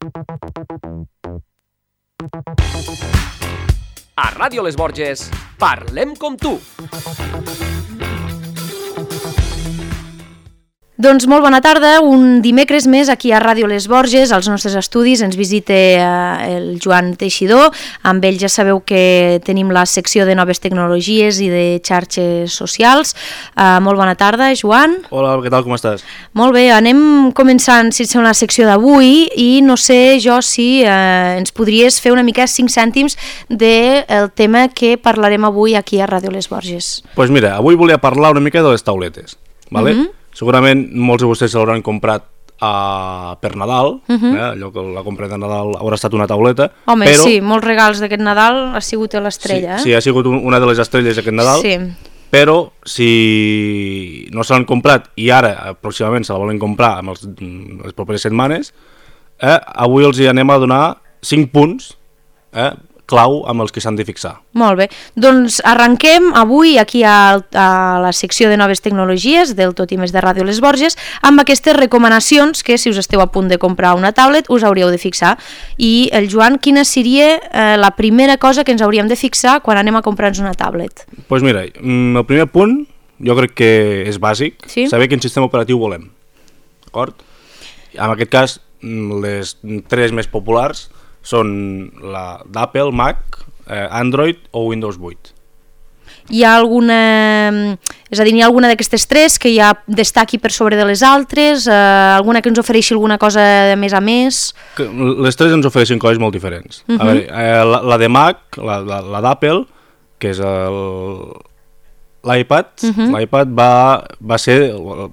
A Ràdio Les Borges, parlem com tu. Doncs molt bona tarda, un dimecres més aquí a Ràdio Les Borges, als nostres estudis ens visita el Joan Teixidor, amb ell ja sabeu que tenim la secció de noves tecnologies i de xarxes socials. Molt bona tarda, Joan. Hola, què tal, com estàs? Molt bé, anem començant la secció d'avui i no sé jo si ens podries fer una mica 5 cèntims del tema que parlarem avui aquí a Ràdio Les Borges. Doncs mira, avui volia parlar una mica de les tauletes, ¿vale? Segurament molts de vostès se l'hauran comprat per Nadal, allò que la compra de Nadal haurà estat una tauleta. Home, però... sí, molts regals d'aquest Nadal ha sigut l'estrella. Sí, ha sigut una de les estrelles aquest Nadal, sí. Però si no se l'han comprat i ara aproximadament se la volen comprar en les properes setmanes, avui els hi anem a donar 5 punts clau amb els que s'han de fixar. Molt bé, doncs arrenquem avui aquí a la secció de noves tecnologies del Tot i Més de Ràdio Les Borges amb aquestes recomanacions que si us esteu a punt de comprar una tablet us hauríeu de fixar. I el Joan, quina seria la primera cosa que ens hauríem de fixar quan anem a comprar-nos una tablet? Doncs mira, el primer punt jo crec que és bàsic, sí? Saber quin sistema operatiu volem, d'acord? En aquest cas, les 3 més populars són la d'Apple, Mac, Android o Windows 8. Hi ha alguna... És a dir, hi ha alguna d'aquestes 3 que ja destaqui per sobre de les altres? Alguna que ens ofereixi alguna cosa de més a més? Les 3 ens ofereixen coses molt diferents. A veure, la de Mac, la d'Apple, que és l'iPad, l'iPad va ser el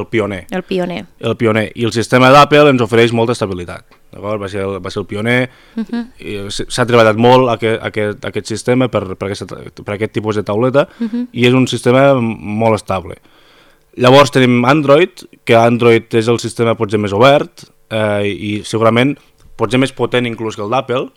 pioner. El pioner. El pioner. I el sistema d'Apple ens ofereix molta estabilitat. Va ser el pioner. S'ha treballat molt aquest sistema per aquest tipus de tauleta i és un sistema molt estable. Llavors tenim Android, que Android és el sistema potser més obert i segurament potser més potent inclús que el d'Apple.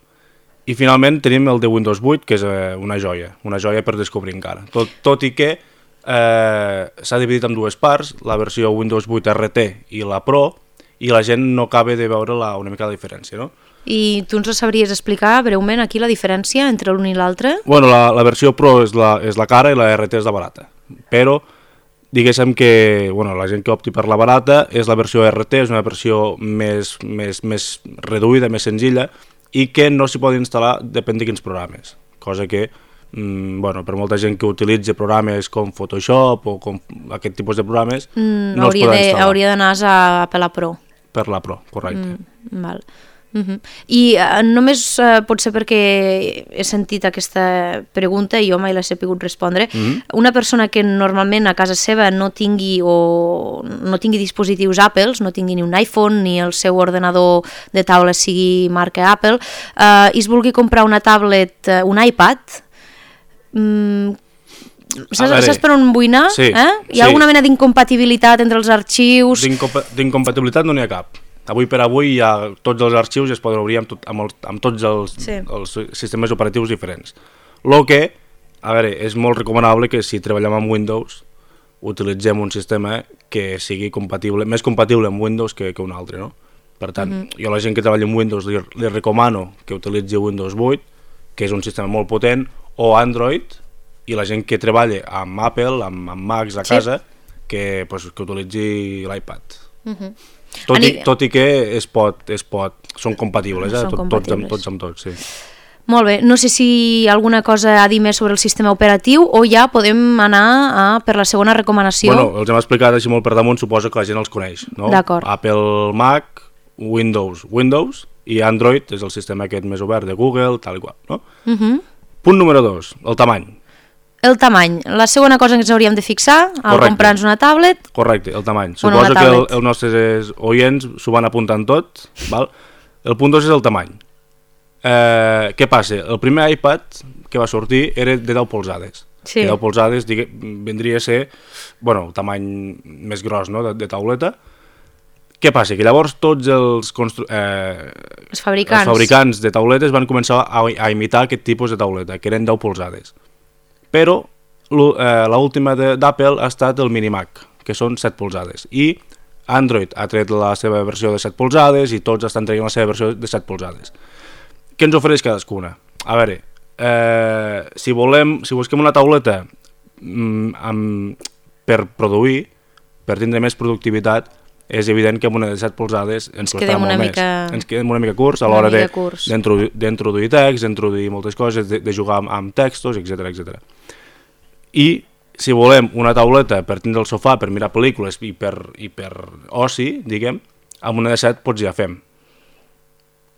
I finalment tenim el de Windows 8, que és una joia per descobrir encara. Tot i que s'ha dividit en 2 parts, la versió Windows 8 RT i la Pro, i la gent no acaba de veure una mica la diferència, no? I tu ens sabries explicar breument aquí la diferència entre l'un i l'altre? Bueno, la versió Pro és la cara i la RT és la barata, però diguéssim que la gent que opti per la barata és la versió RT, és una versió més reduïda, més senzilla, i que no s'hi pot instal·lar depèn de quins programes, cosa que per molta gent que utilitza programes com Photoshop o com aquest tipus de programes no els podrà instal·lar. Hauria d'anar per la Pro. Per la Pro, correcte. Val. I només pot ser perquè he sentit aquesta pregunta i jo mai la he sabut respondre. Una persona que normalment a casa seva no tingui dispositius Apple, no tingui ni un iPhone ni el seu ordenador de taula sigui marca Apple, i es vulgui comprar una tablet, un iPad, saps per on vull anar? Sí, Hi ha alguna mena d'incompatibilitat entre els arxius? D'incompatibilitat no n'hi ha cap. Avui per avui tots els arxius es poden obrir amb tots els sistemes operatius diferents. El que, a veure, és molt recomanable que si treballem amb Windows utilitzem un sistema que sigui més compatible amb Windows que un altre, no? Per tant, jo a la gent que treballa amb Windows li recomano que utilitzi Windows 8, que és un sistema molt potent, o Android, i la gent que treballa amb Apple, amb Macs a casa, que utilitzi l'iPad. Tot i que són compatibles, tots amb tots, sí. Molt bé, no sé si alguna cosa a dir més sobre el sistema operatiu o ja podem anar per la segona recomanació. Bueno, els hem explicat així molt per damunt, suposo que la gent els coneix, no? D'acord. Apple, Mac, Windows i Android és el sistema aquest més obert de Google, tal i qual, no? Punt número 2, el tamany. El tamany, la segona cosa que ens hauríem de fixar al comprar-nos una tablet. Correcte, el tamany. Suposo que els nostres oients s'ho van apuntant tot, val? El punt 2 és el tamany. Què passa? El primer iPad que va sortir era de 10 polzades. Sí. De 10 polzades vindria a ser el tamany més gros, no? de tauleta. Què passa? Que llavors tots els fabricants de tauletes van començar a imitar aquest tipus de tauleta, que eren 10 polzades. Però l'última d'Apple ha estat el Mini Mac, que són 7 polzades. I Android ha tret la seva versió de 7 polzades i tots estan traient la seva versió de 7 polzades. Què ens ofereix cadascuna? A veure, si busquem una tauleta per produir, per tindre més productivitat, és evident que amb una de 7 polzades ens costarà molt més. Ens quedem una mica curts a l'hora d'introduir text, d'introduir moltes coses, de jugar amb textos, etc. I si volem una tauleta per tindre el sofà, per mirar pel·lícules i per oci, diguem, amb una de 7 pots ja fem.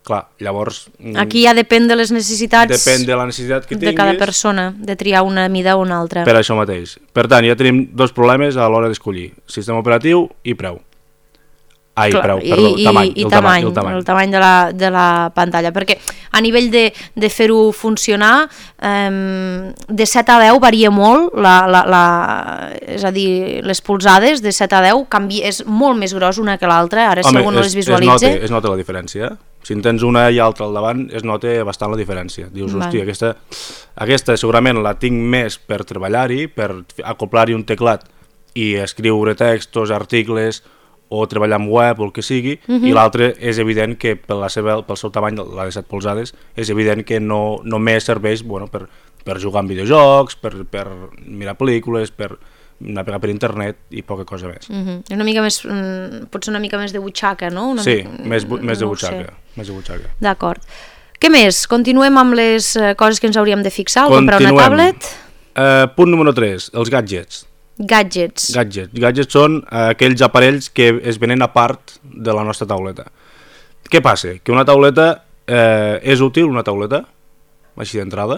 Clar, llavors... Aquí ja depèn de les necessitats depèn de la necessitat que tinguis, de cada persona, de triar una mida o una altra. Per això mateix. Per tant, ja tenim dos problemes a l'hora d'escollir. Sistema operatiu i preu. Tamany. El tamany de la pantalla. Perquè a nivell de fer-ho funcionar, de 7 a 10 varia molt, és a dir, les polzades de 7 a 10 és molt més gros una que l'altra, ara si algú no les visualitza. Es nota la diferència. Si en tens una i altra al davant, es nota bastant la diferència. Dius, hòstia, aquesta segurament la tinc més per treballar-hi, per acoplar-hi un teclat i escriure textos, articles o treballar amb web o el que sigui, i l'altra és evident que pel seu tamany, la de 7 polzades, és evident que no només serveix per jugar amb videojocs, per mirar pel·lícules, per navegar per internet i poca cosa més. Una mica més, potser una mica més de butxaca, no? Sí, més de butxaca. D'acord. Què més? Continuem amb les coses que ens hauríem de fixar, comprar una tablet? Punt número 3, els gadgets. Gadgets són aquells aparells que es venen a part de la nostra tauleta. Què passa? Que una tauleta és útil, una tauleta, així d'entrada?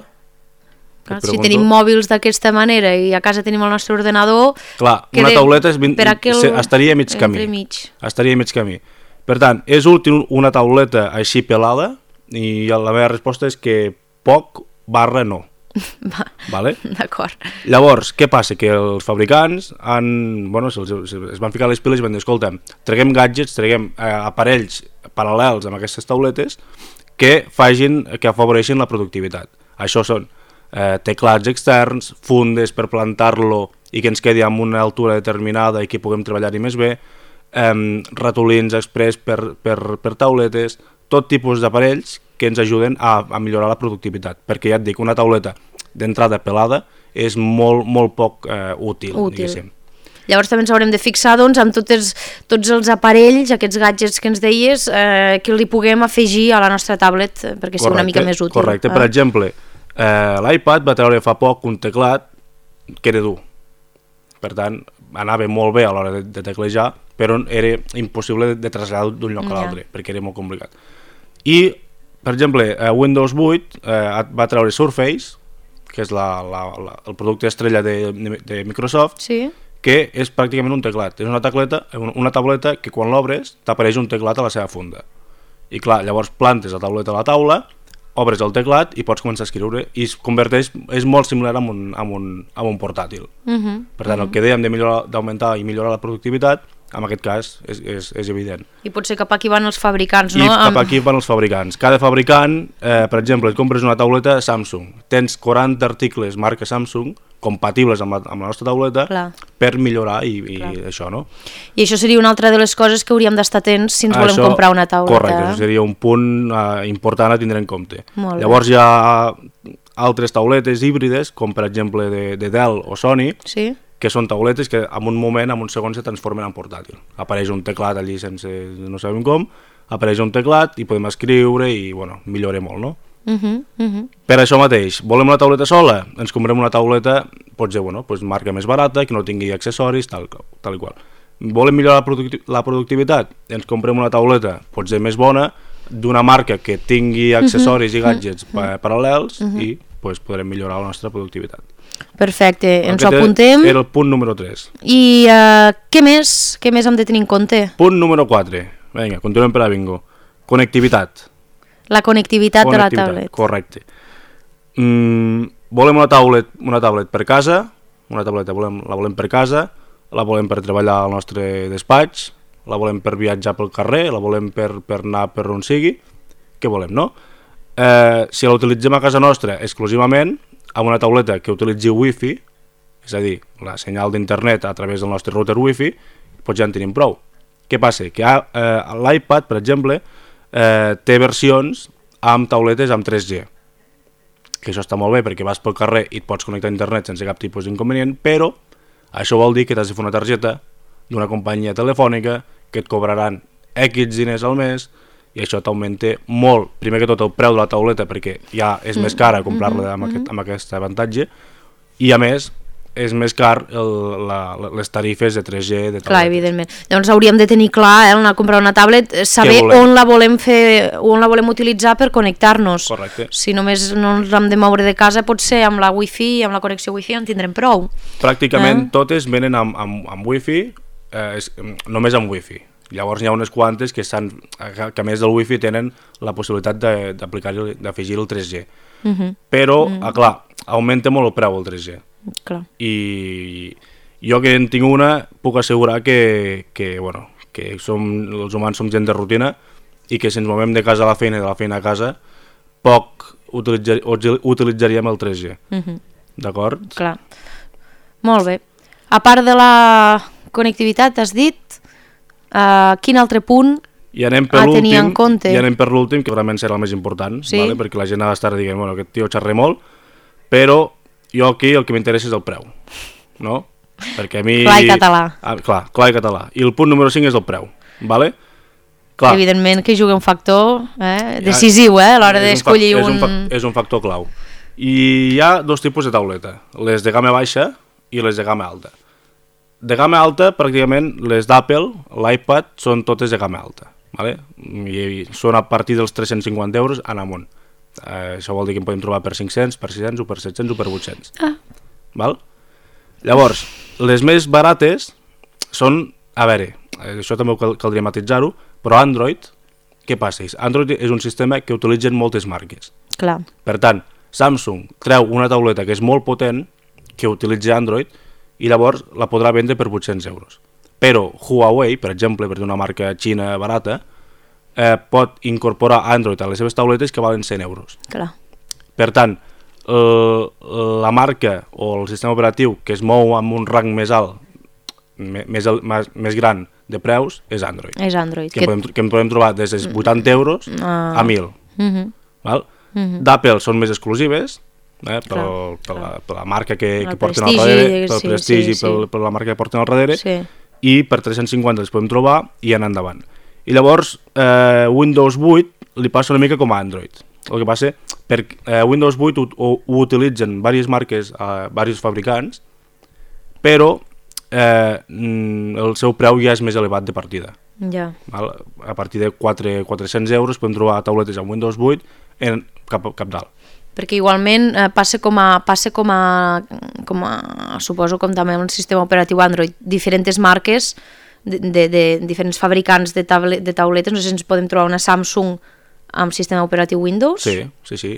Si tenim mòbils d'aquesta manera i a casa tenim el nostre ordenador... Clar, una tauleta estaria a mig camí. Per tant, és útil una tauleta així pelada? I la meva resposta és que poc / no. Vale? D'acord. Llavors, què passa? Que els fabricants es van ficar les piles i van dir, escolta, traguem gadgets, traguem aparells paral·lels amb aquestes tauletes que afavoreixin la productivitat. Això són teclats externs, fundes per plantar-lo i que ens quedi amb una altura determinada i que puguem treballar-hi més bé, ratolins express per tauletes, tot tipus d'aparells que ens ajuden a millorar la productivitat, perquè ja et dic, una tauleta d'entrada pelada és molt poc útil. Diguéssim. Llavors també ens haurem de fixar amb tots els aparells, aquests gadgets que ens deies, que li puguem afegir a la nostra tablet perquè sigui una mica més útil. Correcte, per exemple, l'iPad va treure fa poc un teclat que era dur, per tant anava molt bé a l'hora de teclejar, però era impossible de traslladar d'un lloc a l'altre perquè era molt complicat. I, per exemple, Windows 8 va treure Surface, que és el producte estrella de Microsoft, que és pràcticament un teclat. És una tauleta que quan l'obres t'apareix un teclat a la seva funda. I clar, llavors plantes la tauleta a la taula, obres el teclat i pots començar a escriure i es converteix, és molt similar amb un portàtil. Per tant, el que dèiem d'augmentar i millorar la productivitat, en aquest cas és evident. I potser cap aquí van els fabricants, no? I cap aquí van els fabricants. Cada fabricant, per exemple, et compres una tauleta Samsung, tens 40 articles marca Samsung compatibles amb la nostra tauleta per millorar i això, no? I això seria una altra de les coses que hauríem d'estar atents si ens volem comprar una tauleta. Correcte, això seria un punt important a tindre en compte. Llavors hi ha altres tauletes híbrides, com per exemple de Dell o Sony, que són tauletes que en un moment, en un segon, se transformen en portàtil. Apareix un teclat allí sense no sabem com, apareix un teclat i podem escriure i, millora molt, no? Per això mateix, volem una tauleta sola? Ens comprem una tauleta, potser, marca més barata, que no tingui accessoris, tal i qual. Volem millorar la productivitat? Ens comprem una tauleta, potser més bona, d'una marca que tingui accessoris i gadgets paral·lels i podrem millorar la nostra productivitat. Perfecte, ens ho apuntem. Era el punt número 3. I què més hem de tenir en compte? Punt número 4. Vinga, continuem per a bingo. Connectivitat. La connectivitat de la tablet. Correcte. Volem una tablet per casa, una tableta la volem per casa, la volem per treballar al nostre despatx, la volem per viatjar pel carrer, la volem per anar per on sigui, què volem, no? Si la utilitzem a casa nostra exclusivament, amb una tauleta que utilitzi Wi-Fi, és a dir, la senyal d'internet a través del nostre router Wi-Fi, doncs ja en tenim prou. Què passa? Que l'iPad, per exemple, té versions amb tauletes amb 3G, que això està molt bé perquè vas pel carrer i et pots connectar a internet sense cap tipus d'inconvenient, però això vol dir que t'has de fer una targeta d'una companyia telefònica que et cobraran X diners al mes i això t'augmenta molt, primer que tot el preu de la tauleta perquè ja és més cara comprar-la amb aquest avantatge i a més és més car les tarifes de 3G de tauletes. Clar, evidentment. Llavors hauríem de tenir clar, anar a comprar una tablet, saber on la volem fer, on la volem utilitzar per connectar-nos. Correcte. Si només no ens hem de moure de casa, potser amb la wifi, amb la connexió wifi en tindrem prou. Pràcticament totes venen amb wifi, només amb wifi. Llavors n'hi ha unes quantes que a més del wifi tenen la possibilitat d'afegir el 3G. Però, clar, augmenta molt el preu el 3G. Clar. I jo que en tinc una puc assegurar que els humans som gent de rutina i que si ens movem de casa a la feina i de la feina a casa poc utilitzaríem el 3G. D'acord? Clar. Molt bé. A part de la connectivitat, has dit, quin altre punt a tenir en compte? I anem per l'últim, que realment serà el més important, sí? Vale? Perquè la gent ha d'estar dient, bueno, aquest tio xerra molt, però jo aquí el que m'interessa és el preu, no? Perquè a mi... Clar i català. Clar i català. I el punt número 5 és el preu, vale? Clar. Evidentment que juga un factor decisiu a l'hora d'escollir És un factor clau. I hi ha dos tipus de tauleta, les de gamma baixa i les de gamma alta. De gamma alta, pràcticament, les d'Apple, l'iPad, són totes de gamma alta, vale? I són a partir dels 350 euros en amunt. Això vol dir que en podem trobar per 500, per 600 o per 700 o per 800. Val? Llavors, les més barates són, a veure, això també caldria matitzar-ho, però Android, què passa? Android és un sistema que utilitzen moltes marques. Clar. Per tant, Samsung treu una tauleta que és molt potent, que utilitza Android, i llavors la podrà vendre per 800 euros. Però Huawei, per exemple, per una marca xina barata, pot incorporar Android a les seves tauletes que valen 100 euros. Clar. Per tant, la marca o el sistema operatiu que es mou amb un rang més alt, més gran de preus, és Android. És Android. Que en podem trobar des dels 80 euros a 1.000. Val? D'Apple són més exclusives, per la marca que porten al darrere, pel prestigi, per la marca que porten al darrere, i per 350 les podem trobar i anar endavant. I llavors Windows 8 li passa una mica com a Android. El que passa per Windows 8 ho utilitzen diverses marques, diversos fabricants, però el seu preu ja és més elevat de partida. A partir de 400 euros podem trobar tauletes amb Windows 8 cap dalt. Perquè igualment passa com a suposo com també un sistema operatiu Android, diferents marques de diferents fabricants de tauletes, no sé si ens podem trobar una Samsung amb sistema operatiu Windows? Sí,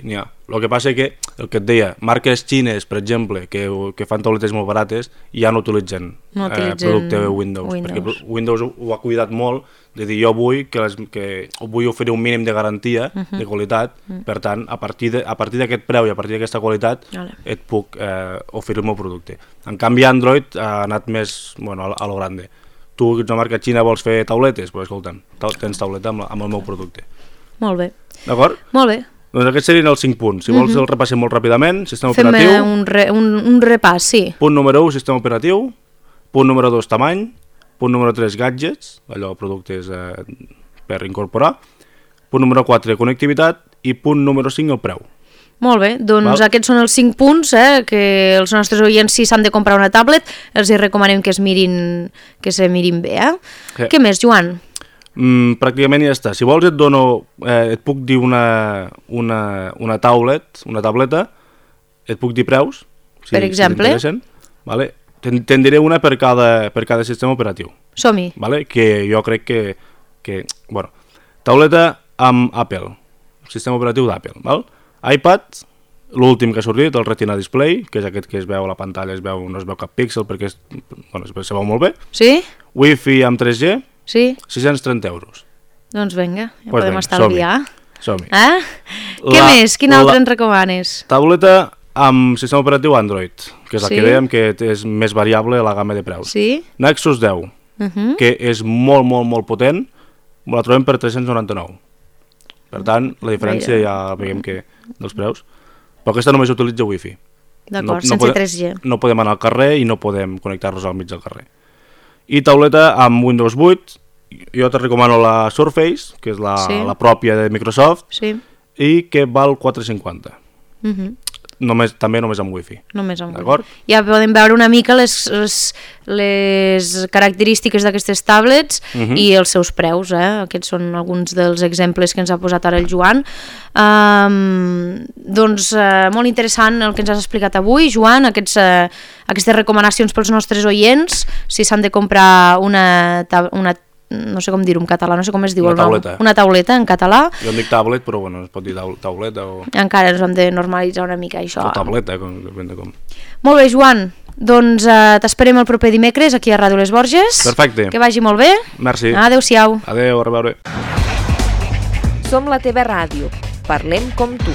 n'hi ha. El que passa que, el que et deia, marques xines, per exemple, que fan tauletes molt barates, ja no utilitzen producte Windows, perquè Windows ho ha cuidat molt de dir jo vull vull oferir un mínim de garantia, de qualitat, per tant, a partir d'aquest preu i a partir d'aquesta qualitat et puc oferir el meu producte. En canvi, Android ha anat més a lo grande. Tu, ets una marca xina, vols fer tauletes? Doncs escolta'm, tens tauleta amb el meu producte. Molt bé. D'acord? Molt bé. Doncs aquests serien els 5 punts. Si vols el repassem molt ràpidament. Sistema operatiu. Fem un repàs, sí. Punt número 1, sistema operatiu. Punt número 2, tamany. Punt número 3, gadgets, allò, productes per incorporar. Punt número 4, connectivitat. I punt número 5, el preu. Molt bé, doncs aquests són els 5 punts que els nostres oients, si s'han de comprar una tablet, els recomanem que se mirin bé. Què més, Joan? Pràcticament ja està. Si vols et puc dir una tauleta, et puc dir preus, per exemple. Vale? Te'n diré una per cada sistema operatiu. Som-hi. Vale? Que jo crec que tauleta amb Apple, sistema operatiu d'Apple. iPad, l'últim que ha sortit, el Retina Display, que és aquest que es veu a la pantalla, no es veu cap píxel perquè es veu molt bé. Sí? Wi-Fi amb 3G, sí? 630 euros. Doncs vinga, ja podem estalviar. Som-hi. Què més? Quin altre ens recomanes? Tauleta amb sistema operatiu Android, que és la que dèiem que és més variable a la gamma de preus. Sí? Nexus 10, que és molt potent, la trobem per 399. Per tant, la diferència ja veiem que dels preus. Però aquesta només utilitza Wi-Fi. D'acord, sense 3G. No podem anar al carrer i no podem connectar-nos al mig del carrer. I tauleta amb Windows 8, jo te recomano la Surface, que és la pròpia de Microsoft, i que val 4,50. També només amb Wi-Fi. Només amb Wi-Fi. Ja podem veure una mica les característiques d'aquestes tablets i els seus preus. Aquests són alguns dels exemples que ens ha posat ara el Joan. Doncs molt interessant el que ens has explicat avui, Joan, aquestes recomanacions pels nostres oients, si s'han de comprar una no sé com dir-ho en català, no sé com es diu el nom. Una tauleta en català. Jo em dic tablet, però bueno, es pot dir tauleta o... Encara ens hem de normalitzar una mica això. O tableta, depèn de com. Molt bé, Joan, doncs t'esperem el proper dimecres aquí a Ràdio Les Borges. Perfecte. Que vagi molt bé. Merci. Adéu-siau. Adéu, a reveure. Som la teva ràdio. Parlem com tu.